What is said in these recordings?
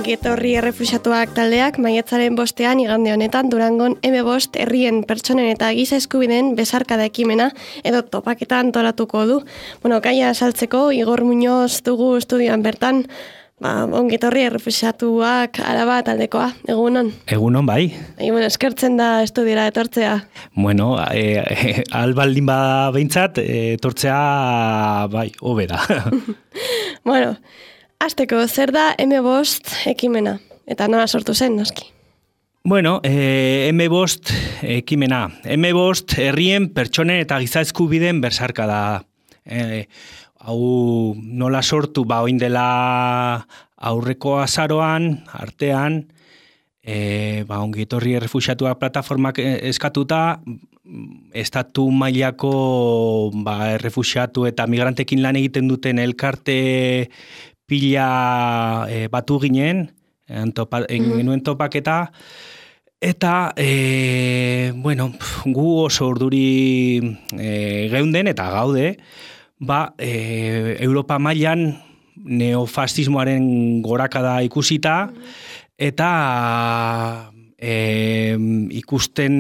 Ongetorri errefuxiatuak taldeak maiatzaren 5ean igande honetan Durangon M5 herrien pertsonen eta giza eskubideen besarkada ekimena edo topaketa antolatuko du. Gaia saltzeko Igor Muñoz dugu estudioan bertan, ongetorri errefuxiatuak Araba taldekoa. Egunon? Egunon, bai. Eskertzen da estudiora etortzea. Albaldin bada behintzat, etortzea bai, hobe da. Hasteko, zer da M5 ekimena? Eta nola sortu zen, noski? M5 ekimena. M5 herrien pertsonen eta giza eskubideen besarkada da. Hau nola sortu, oin dela aurreko azaroan, artean, ongetorri errefuxiatuak plataformak eskatuta, estatu mailako errefuxiatu eta migrantekin lan egiten duten elkarte pila batu ginen, genuen topaketa, eta, gu oso urduri geunden eta gaude, Europa mailan neofasismoaren gorakada ikusita, eta ikusten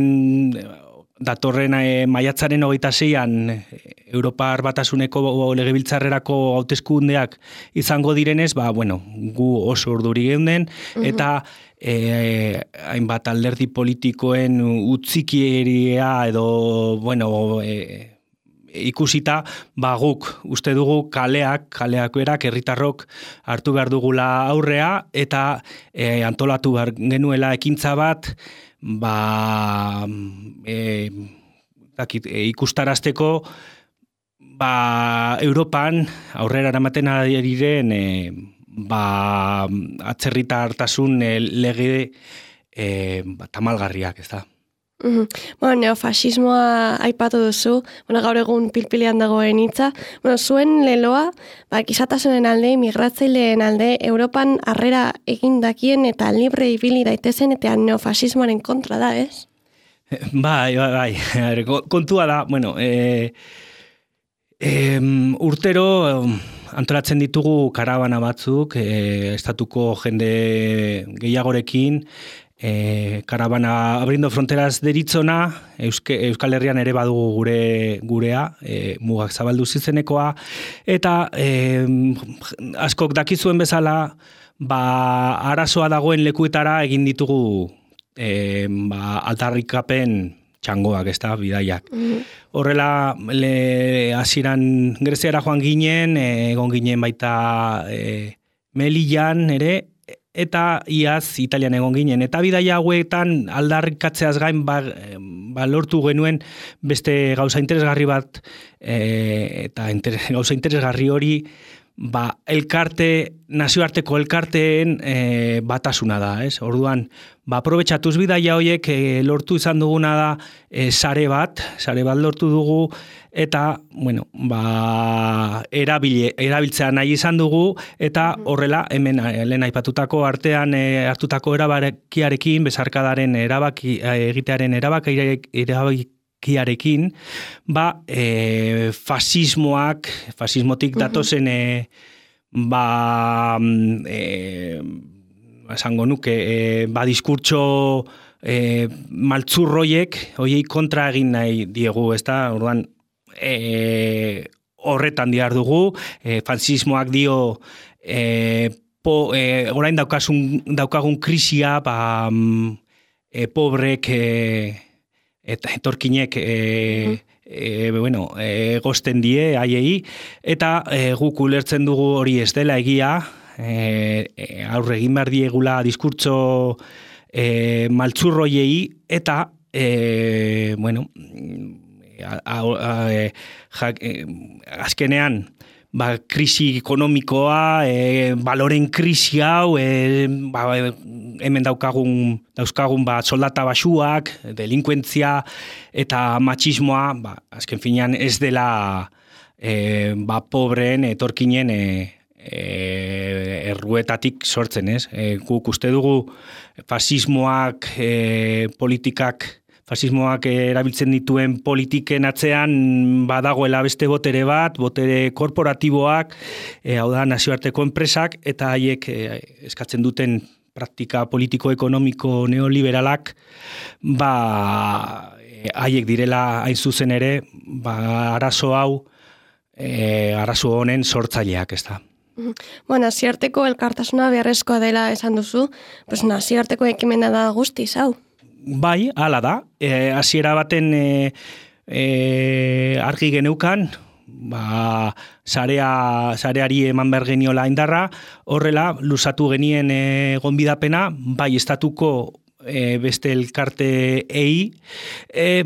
datorren maiatzaren 26an Europar Batasuneko legebiltzarrerako hauteskundeak izango direnez, gu oso urduri geunden, eta hainbat alderdi politikoen utzikieria edo, ikusita, guk uste dugu kaleak berak, herritarrok hartu behar dugula aurrea, eta antolatu behar genuela ekintza bat, ikustarazteko Europan aurrera eramaten ari diren atzerritartasun lege tamalgarriak, ez da. Neofasismoa aipatu duzu, gaur egun pilpilean dagoen hitza. Zuen leloa, gizatasunen alde, migratzaileen alde, Europan harrera egindakien eta libre ibili daitezen eta neofasismoaren kontra da, ez? Bai. Kontua da, urtero antolatzen ditugu karabana batzuk, estatuko jende gehiagorekin, karabana Abrindo Fronteras deritzona, Euskal Herrian ere badugu gurea, mugak zabaldu zizenekoa, eta askok dakizuen bezala, arazoa dagoen lekuetara egin ditugu aldarrikapen txangoak, ez da, bidaiak. Horrela, hasieran Greziara joan ginen, egon ginen baita Melillan ere, eta iaz Italian egon ginen. Eta bidaia hauetan aldarrikatzeaz gain lortu genuen beste gauza interesgarri bat, eta gauza interesgarri hori nazioarteko elkarteen batasuna da, ez? Orduan, aprobetxatuz bidaia horiek lortu izan duguna da sare bat lortu dugu, eta, erabiltzea nahi izan dugu, eta horrela, hemen lehen aipatutako artean hartutako erabakiarekin, besarkadaren egitearen erabakiarekin, fasismotik datozen, esango nuke, diskurtso maltzurroiek, hoiei kontra egin nahi diegu, ez da, orduan, horretan dihar dugu, fasismoak dio, orain daukagun krisia, pobrek, eta etorkinek gosten die haiei, eta guk ulertzen dugu hori ez dela egia, aurre egin behar diegula diskurtso maltzurroiei, eta azkenean krisi ekonomikoa, baloren krisi hau, hemen dauzkagun soldata basuak, delinkuentzia eta matxismoa, azken finean ez dela pobreen etorkinen erruetatik sortzen, ez? Guk uste dugu fasismoak erabiltzen dituen politiken atzean badagoela beste botere bat, botere korporatiboak, hau da nazioarteko enpresak, eta haiek eskatzen duten praktika politiko-ekonomiko neoliberalak, haiek direla hain zuzen ere, arazo hau, arazo honen sortzaileak, ez da. Nazioarteko elkartasuna beharrezkoa dela esan duzu, nazioarteko ekimena da guztiz, hau? Bai, hala da. Hasiera baten argi geneukan, sareari eman behar geniola indarra, horrela, luzatu genien gonbidapena, bai estatuko beste elkarteei,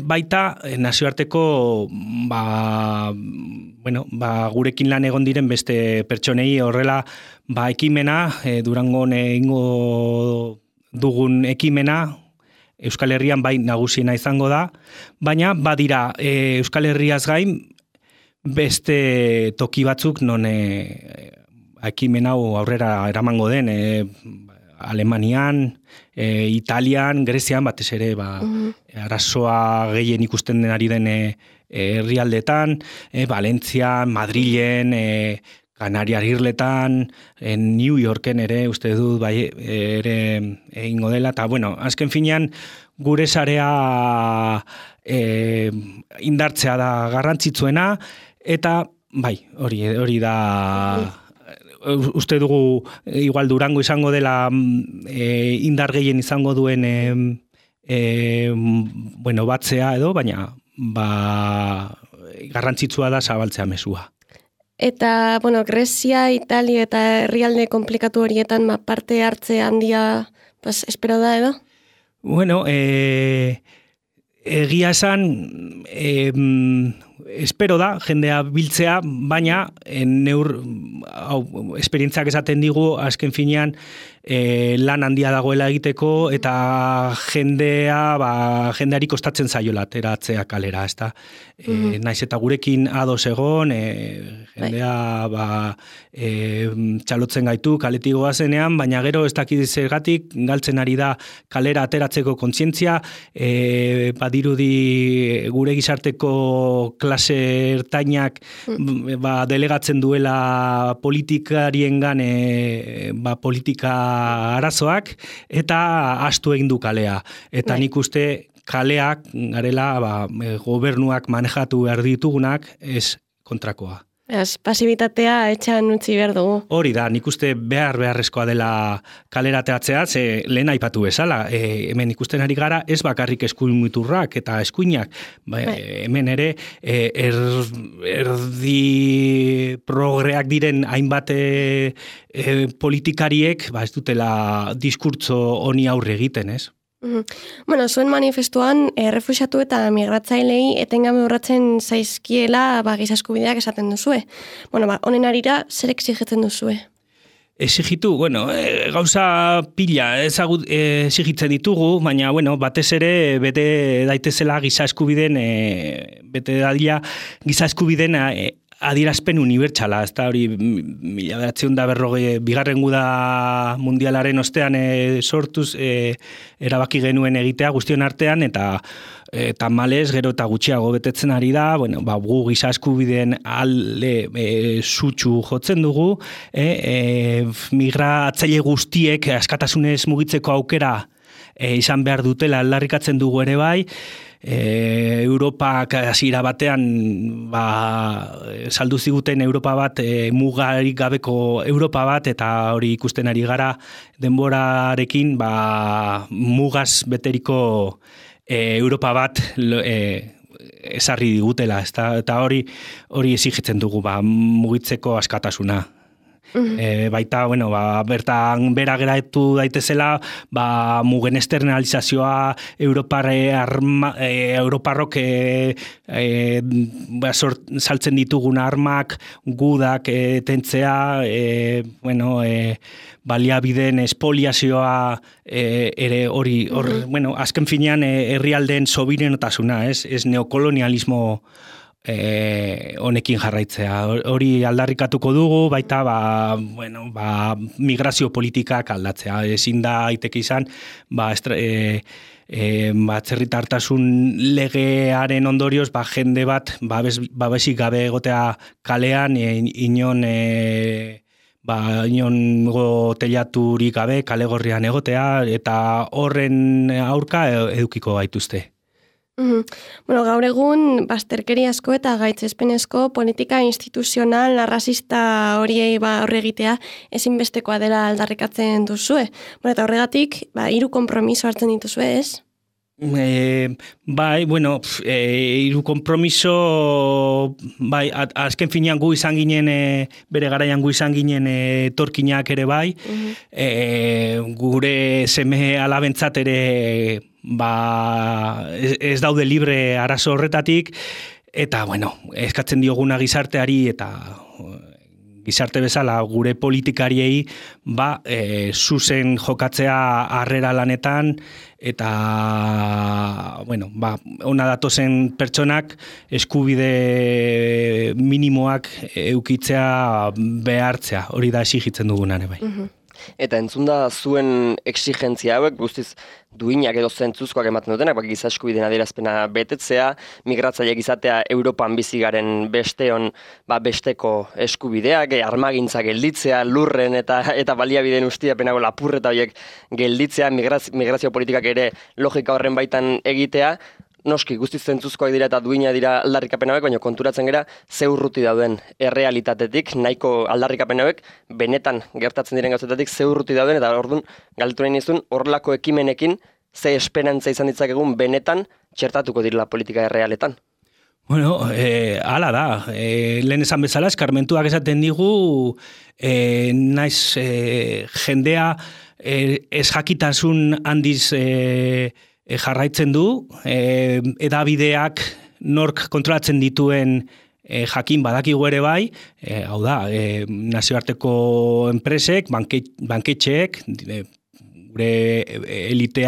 baita nazioarteko gurekin lan egon diren beste pertsonei horrela ekimena, Durangon egingo dugun ekimena, Euskal Herrian bai nagusiena izango da, baina badira Euskal Herriaz gain beste toki batzuk non ekimen hau aurrera eramango den, Alemanian, Italian, Grezian, batez ere, arazoa gehien ikusten ari den herrialdetan, Valentzian, Madrilen, Kanariar Irletan, New Yorken ere, uste dut, ere egingo dela, eta, azken finean, gure sarea indartzea da garrantzitsuena, eta, hori da... Uste dugu, igual Durango izango dela indar gehien izango duen batzea edo, baina garrantzitsua da zabaltzea mezua. Eta, Grezia, Italia eta herrialde komplikatu horietan parte hartze handia espero da edo? Egia esan, espero da, jendea biltzea, baina esperientziak esaten digu, azken finean, lan handia dagoela egiteko, eta jendeari kostatzen zaiola ateratzea kalera, ez da? Naiz eta gurekin ados egon, jendea txalotzen gaitu kaletik goazenean, baina gero ez dakit zergatik galtzen ari da kalera ateratzeko kontzientzia, badirudi gure gizarteko klase ertainak delegatzen duela politikariengan politika arazoak, eta astu egin du kalea. Eta nik uste kaleak garela gobernuak manejatu behar ditugunak, ez kontrakoa. Pasibitatea etxan utzi behar dugu. Hori da, nik uste beharrezkoa dela kalera ateratzea, ze lehen aipatu bezala. Hemen ikusten ari gara, ez bakarrik eskuin muturrak eta eskuinak. Hemen ere, erdi progreak diren hainbat politikariek, ez dutela diskurtso honi aurre egiten, ez? Zuen manifestuan, refuxiatu eta migratzailei etengabe urratzen zaizkiela giza eskubideak esaten duzue. Honen arira, zer exigitzen duzue? Exigitu, gauza pila exigitzen ditugu, baina, batez ere, bete daitezela giza eskubideen, giza eskubideen adierazpen unibertsala, ez da hori 1940 bigarren guda mundialaren ostean sortuz erabaki genuen egitea guztion artean, eta males gero eta gutxiago betetzen ari da, gu giza eskubideen alde sutsu jotzen dugu, migratzaile guztiek askatasunez mugitzeko aukera izan behar dutela aldarrikatzen dugu ere bai, Europak hasiera batean saldu ziguten Europa bat, mugarik gabeko Europa bat, eta hori ikusten ari gara denborarekin mugaz beteriko Europa bat ezarri digutela, eta hori exigitzen dugu mugitzeko askatasuna. Baita, bertan bera geratu daitezela, mugen externalizazioa, Europarrok saltzen ditugun armak, gudak tentzea, baliabideen espoliazioa ere hori, azken finean herrialdeen sobiranotasuna, ez neokolonialismo honekin jarraitzea. Hori aldarrikatuko dugu, baita migrazio politikak aldatzea. Ezin da aiteke izan, atzerritartasun legearen ondorioz, jende bat babesik gabe egotea kalean, inon inongo telaturik gabe kalegorrian egotea, eta horren aurka edukiko gaituzte. Bueno, gaur egun, bazterkeriazko eta gaitzespenezko politika instituzional arrazista horiei horre egitea ezinbestekoa dela aldarrikatzen duzue. Bueno, eta horregatik, 3 konpromiso hartzen dituzue, ez? Hiru konpromiso, azken finean gu izan ginen, bere garaian gu izan ginen etorkinak ere bai, gure seme alabentzat ere ez daude libre arazo horretatik, eta eskatzen dioguna gizarteari eta gizarte bezala gure politikariei zuzen jokatzea harrera lanetan eta ona datozen pertsonak eskubide minimoak eukitzea behartzea, hori da exigitzen dugunan bai. Eta entzunda zuen exigentzia hauek guztiz duinak edo zentzuzkoak ematen dutenak, giza eskubideen adierazpena betetzea, migratzaileak izatea Europan bizi garen besteon besteko eskubideak, armagintza gelditzea, lurren eta baliabideen ustiapenago lapurreta horiek gelditzea, migrazio politikak ere logika horren baitan egitea. Noski, guztiz zentzuzkoak dira eta duina dira aldarrikapen hauek, baina konturatzen gara ze urruti dauden errealitatetik, nahiko aldarrikapen hauek benetan gertatzen diren gauzetatik ze urruti dauden, eta orduan galdetu nahi nizun horrelako ekimenekin ze esperantza izan ditzakegun benetan txertatuko direla politika errealetan. Hala da. Lehen esan bezala, eskarmentuak esaten digu, naiz jendea ez jakitasun handiz jarraitzen du, edabideak nork kontrolatzen dituen jakin badakigu ere bai, hau da, nazioarteko enpresek, banketxeek, gure elite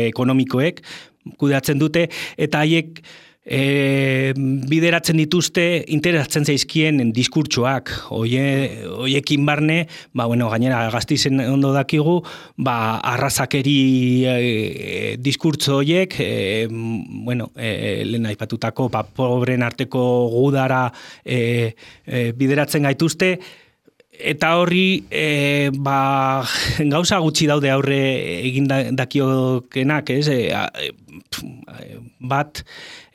ekonomikoek kudeatzen dute, eta haiek bideratzen dituzte interesatzen zaizkien diskurtsoak, hoiekin barne, gainera gaztizen ondo dakigu, arrazakeri diskurtso hoiek, lehen aipatutako, pobren arteko gudara bideratzen gaituzte, eta horri gauza gutxi daude aurre egin dakiokenak, ez?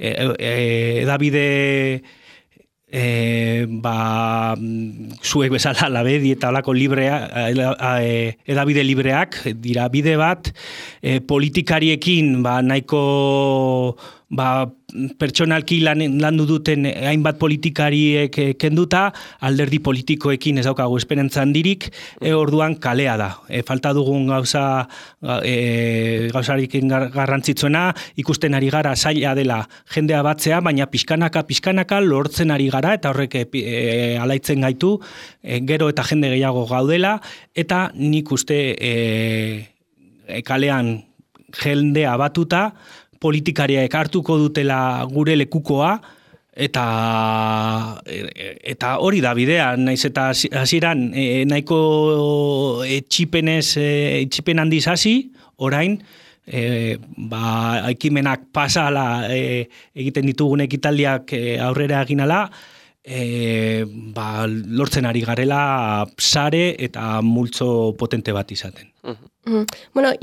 Edabide zuek bezala labedi eta alako edabide libreak dira bide bat, politikariekin nahiko pertsonalki landu duten hainbat politikariek kenduta, alderdi politikoekin ez daukagu esperantza handirik, orduan kalea da. Falta dugun gauzarik garrantzitsuena, ikusten ari gara zaila dela jendea batzea, baina pixkanaka lortzen ari gara, eta horrek alaitzen gaitu, gero eta jende gehiago gaudela, eta nik uste kalean jendea batuta, politikariak hartuko dutela gure lekukoa, eta hori da bidea, naiz eta hasieran nahiko etxipen handiz hasi, orain, ekimenak pasala egiten ditugun ekitaldiak aurrera eginala, lortzen ari garela sare eta multzo potente bat izaten.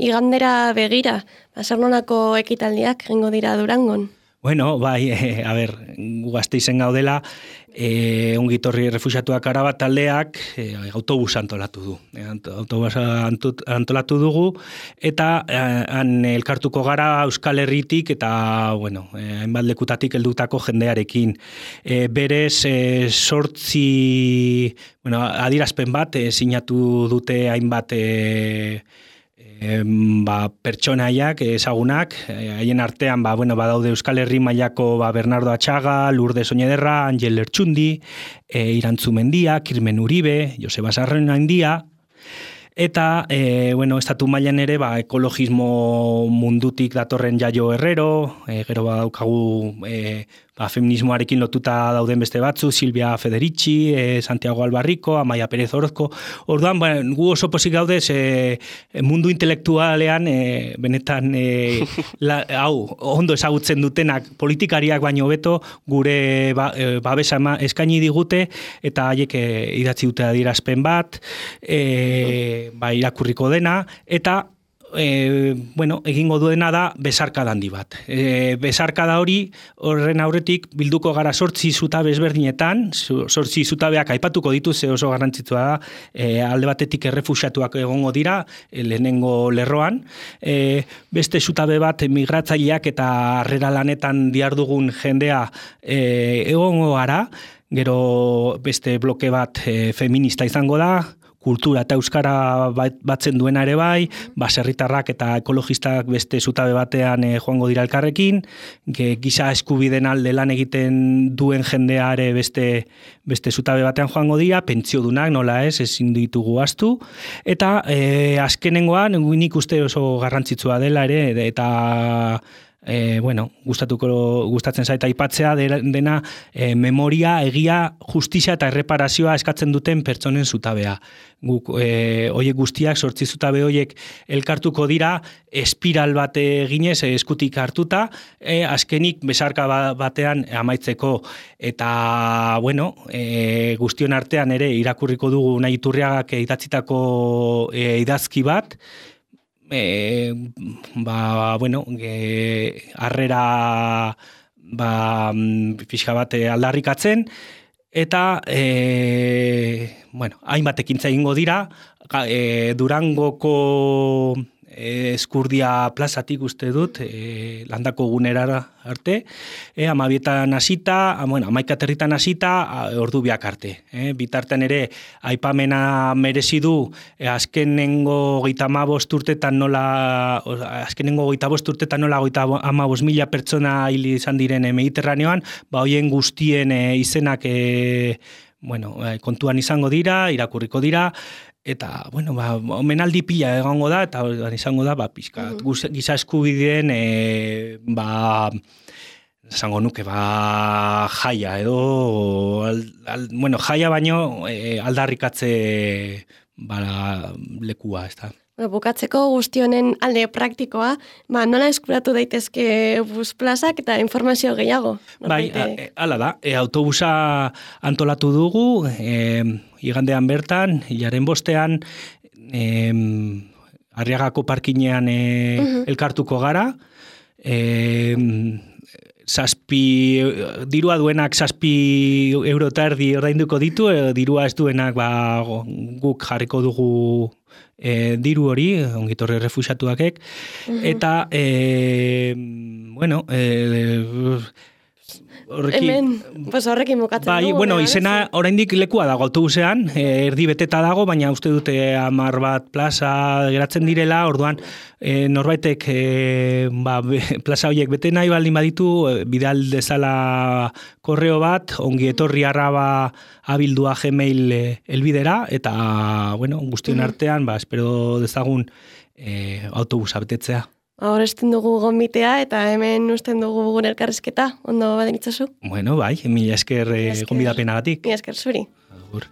Igandera begira, zer nolako ekitaldiak egingo dira Durangon? Gu Gasteizen gaudela, ongitorri refuxiatuak Arabat taldeak autobus antolatu du. Antolatu dugu, eta han elkartuko gara Euskal Herritik eta, hainbat lekutatik heldutako jendearekin. Berez, 8 adierazpen bat sinatu dute hainbat pertsonaiak ezagunak, haien artean badaude Euskal Herri mailako Bernardo Atxaga, Lourdes Oñederra, Angel Lertxundi, Irantzu Mendia, Kirmen Uribe, Joseba Sarrenaindia, eta estatu mailan ere ekologismo mundutik datorren Jaio Herrero, gero badaukagu feminismoarekin lotuta dauden beste batzu, Silvia Federici, Santiago Albarriko, Amaia Perez Orozko. Orduan, gu oso pozik gaudez mundu intelektualean benetan hau ondo ezagutzen dutenak politikariak baino beto gure babesa eskaini digute eta haiek idatzi dute adierazpen bat, irakurriko dena, eta egingo duena da besarkada handi bat. Besarkada horren aurretik bilduko gara 8 zutabe ezberdinetan, 8 zutabeak aipatuko ditu ze oso garrantzitsua da, alde batetik errefuxiatuak egongo dira, lehenengo lerroan, beste zutabe bat migratzaileak eta harrera lanetan dihardugun jendea egongo gara, gero beste bloke bat feminista izango da, kultura eta euskara batzen duena ere bai, baserritarrak eta ekologistak beste zutabe batean joango dira elkarrekin, giza eskubideen alde lan egiten duen jendea ere beste zutabe batean joango dira, pentsiodunak nola ezin ditugu ahaztu, eta azkenengoan nik uste oso garrantzitsua dela ere, eta gustatzen zaita aipatzea dena memoria, egia, justizia eta erreparazioa eskatzen duten pertsonen zutabea. Guk hoiek guztiak 8 zutabe hoiek elkartuko dira espiral bat eginez eskutik hartuta, azkenik besarka batean amaitzeko eta guztion artean ere irakurriko dugu Unai Iturriagak idatzitako idazki bat, harrera pixka bat aldarrikatzen, eta hainbat ekintza egingo dira, Durangoko Eskurdia plazatik uste dut, landako gunera arte, 12etan hasita, 11 aterritan hasita, ordu biak arte. Bitartean ere, aipamena merezi du, azkenengo 35 urtetan nola 55.000 pertsona hil izan diren Mediterraneoan, hoien guztien izenak kontuan izango dira, irakurriko dira, eta, omenaldi pila egongo da, eta izango da, pixka, giza eskubideen, esango nuke, jaia, edo, jaia baino aldarrikatze lekua, ez da. Bukatzeko guztionen alde praktikoa, nola eskuratu daitezke bus plazak eta informazio gehiago? Hala da, autobusa antolatu dugu, igandean bertan, hilaren 5ean, Arriagako parkinean elkartuko gara, dirua duenak 7 euro eta erdi ordainduko ditu, dirua ez duenak guk jarriko dugu diru hori, ongitorri refuxiatuakek, eta, horrekin bukatzen dugu. Izena oraindik lekua dago autobusean, erdi beteta dago, baina uste dute 10 bat plaza geratzen direla, orduan norbaitek plaza horiek bete nahi baldin baditu, bidal dezala korreo bat, ongietorri@abildua.gmail elbidera, eta, guztion artean, espero dezagun autobusa betetzea. Hor esten dugu gonbitea eta hemen usten dugu gure elkarrizketa. Ondo baden itzazu? Mila esker gonbidapenagatik. Mila esker zuri. Agur.